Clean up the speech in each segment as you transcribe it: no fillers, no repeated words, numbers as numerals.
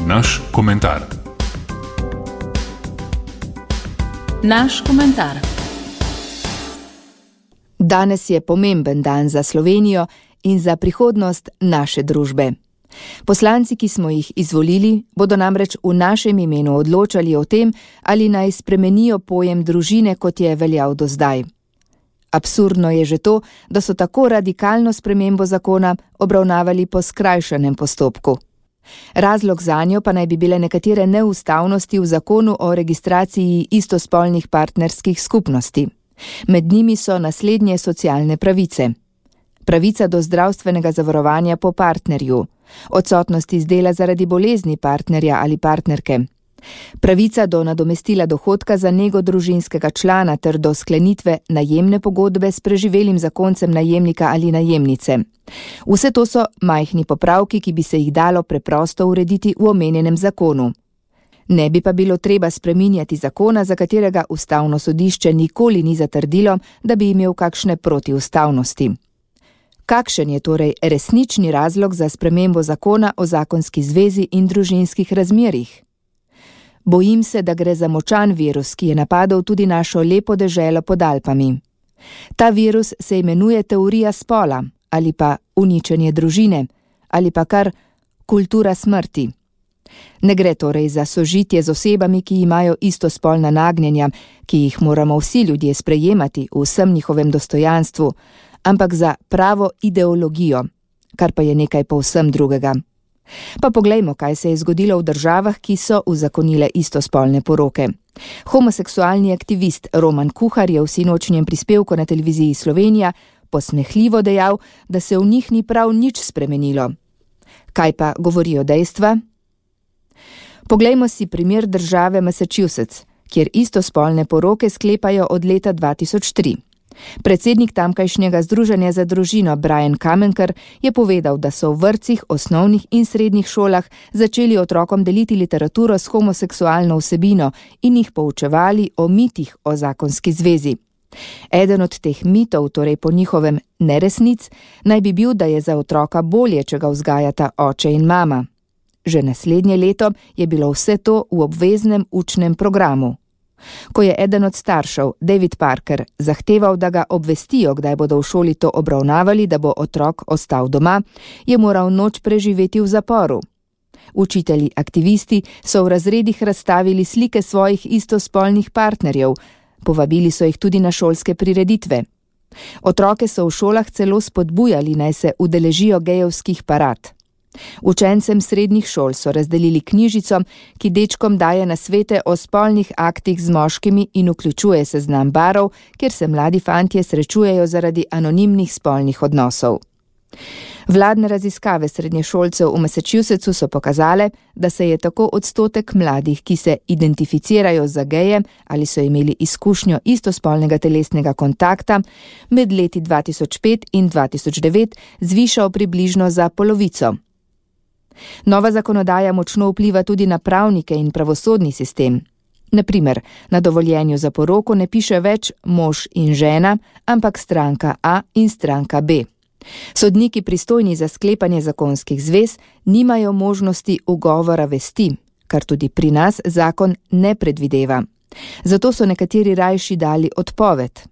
Naš komentar. Naš komentar. Danes je pomemben dan za Slovenijo in za prihodnost naše družbe. Poslanci, ki smo jih izvolili, bodo namreč v našem imenu odločali o tem, ali naj spremenijo pojem družine, kot je veljal do zdaj. Absurdno je že to, da so tako radikalno spremembo zakona obravnavali po skrajšanem postopku. Razlog zanjo pa naj bi bile nekatere neustavnosti v zakonu o registraciji istospolnih partnerskih skupnosti. Med njimi so naslednje socialne pravice. Pravica do zdravstvenega zavarovanja po partnerju, odsotnost iz dela zaradi bolezni partnerja ali partnerke, pravica do nadomestila dohodka za nego družinskega člana ter do sklenitve najemne pogodbe s preživelim zakoncem najemnika ali najemnice. Vse to so majhni popravki, ki bi se jih dalo preprosto urediti v omenjenem zakonu. Ne bi pa bilo treba spreminjati zakona, za katerega Ustavno sodišče nikoli ni zatrdilo, da bi imel kakšne protiustavnosti. Kakšen je torej resnični razlog za spremembo zakona o zakonski zvezi in družinskih razmerjih? Bojim se, da gre za močan virus, ki je napadel tudi našo lepo deželo pod Alpami. Ta virus se imenuje teorija spola, ali pa uničenje družine, ali pa kar kultura smrti. Ne gre torej za sožitje z osebami, ki imajo istospolna nagnjenja, ki jih moramo vsi ljudje sprejemati v vsem njihovem dostojanstvu, ampak za pravo ideologijo, kar pa je nekaj povsem drugega. Pa poglejmo, kaj se je zgodilo v državah, ki so uzakonile istospolne poroke. Homoseksualni aktivist Roman Kuhar je v sinočnjem prispevku na televiziji Slovenija posmehljivo dejal, da se v njih ni prav nič spremenilo. Kaj pa govorijo dejstva? Poglejmo si primer države Massachusetts, kjer istospolne poroke sklepajo od leta 2003. Predsednik tamkajšnjega združenja za družino Brian Kamenker je povedal, da so v vrtcih, osnovnih in srednjih šolah začeli otrokom deliti literaturo s homoseksualno vsebino in jih poučevali o mitih o zakonski zvezi. Eden od teh mitov, torej po njihovem neresnic, naj bi bil, da je za otroka bolje, če ga vzgajata oče in mama. Že naslednje leto je bilo vse to v obveznem učnem programu. Ko je eden od staršev, David Parker, zahteval, da ga obvestijo, kdaj bodo v šoli to obravnavali, da bo otrok ostal doma, je moral noč preživeti v zaporu. Učitelji aktivisti so v razredih razstavili slike svojih istospolnih partnerjev, povabili so jih tudi na šolske prireditve. Otroke so v šolah celo spodbujali, naj se udeležijo gejevskih parad. Učencem srednjih šol so razdelili knjižico, ki dečkom daje nasvete o spolnih aktih z moškimi in vključuje seznam barov, kjer se mladi fantje srečujejo zaradi anonimnih spolnih odnosov. Vladne raziskave srednješolcev v Massachusettsu so pokazale, da se je tako odstotek mladih, ki se identificirajo za geje ali so imeli izkušnjo istospolnega telesnega kontakta, med leti 2005 in 2009 zvišal približno za polovico. Nova zakonodaja močno vpliva tudi na pravnike in pravosodni sistem. Na primer, na dovoljenju za poroko ne piše več mož in žena, ampak stranka A in stranka B. Sodniki pristojni za sklepanje zakonskih zvez nimajo možnosti ugovora vesti, kar tudi pri nas zakon ne predvideva. Zato so nekateri rajši dali odpoved.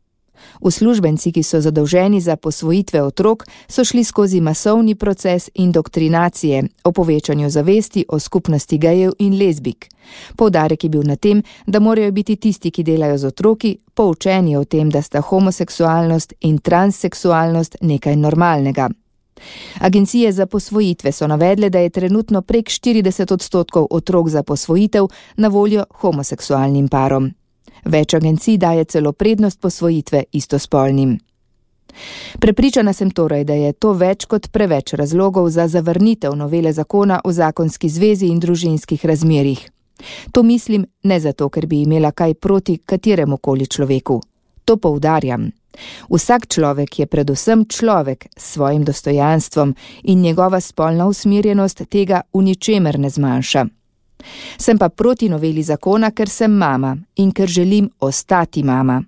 Uslužbenci, ki so zadolženi za posvojitve otrok, so šli skozi masovni proces indoktrinacije o povečanju zavesti o skupnosti gejev in lezbik. Poudarek je bil na tem, da morajo biti tisti, ki delajo z otroki, poučeni o tem, da sta homoseksualnost in transseksualnost nekaj normalnega. Agencije za posvojitve so navedle, da je trenutno prek 40% otrok za posvojitev na voljo homoseksualnim parom. Več agencij daje celo prednost posvojitve istospolnim. Prepričana sem torej, da je to več kot preveč razlogov za zavrnitev novele zakona o zakonski zvezi in družinskih razmerjih. To mislim ne zato, ker bi imela kaj proti kateremukoli človeku. To poudarjam. Vsak človek je predvsem človek s svojim dostojanstvom in njegova spolna usmerjenost tega v ničemer ne zmanjša. Sem pa proti noveli zakona, ker sem mama in ker želim ostati mama.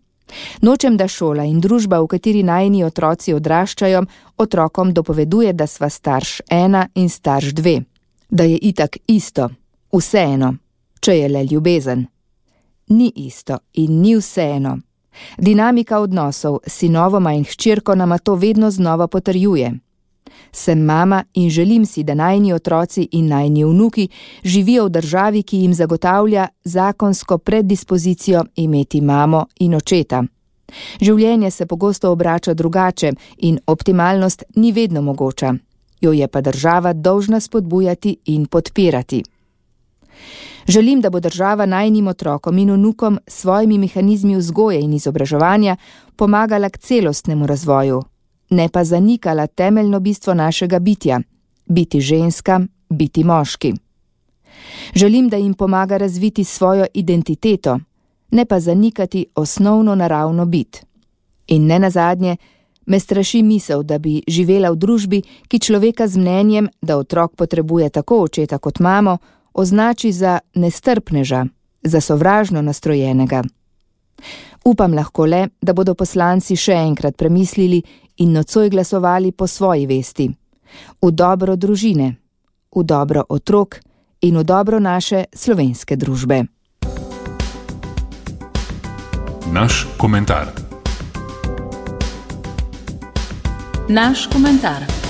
Nočem, da šola in družba, v kateri najini otroci odraščajo, otrokom dopoveduje, da sva starš 1 in starš 2. Da je itak isto. Vseeno, če je le ljubezen. Ni isto in ni vseeno. Dinamika odnosov s sinovoma in hčerko nama to vedno znova potrjuje. Sem mama in želim si, da najini otroci in najini vnuki živijo v državi, ki jim zagotavlja zakonsko preddispozicijo imeti mamo in očeta. Življenje se pogosto obrača drugače in optimalnost ni vedno mogoča. Jo je pa država dolžna spodbujati in podpirati. Želim, da bo država najinim otrokom in vnukom s svojimi mehanizmi vzgoje in izobraževanja pomagala k celostnemu razvoju, ne pa zanikala temeljno bistvo našega bitja, biti ženska, biti moški. Želim, da jim pomaga razviti svojo identiteto, ne pa zanikati osnovno naravno bit. In nenazadnje, me straši misel, da bi živela v družbi, ki človeka z mnenjem, da otrok potrebuje tako očeta kot mamo, označi za nestrpneža, za sovražno nastrojenega. Upam lahko le, da bodo poslanci še enkrat premislili in nocoj glasovali po svoji vesti. V dobro družine, v dobro otrok in v dobro naše slovenske družbe. Naš komentar. Naš komentar.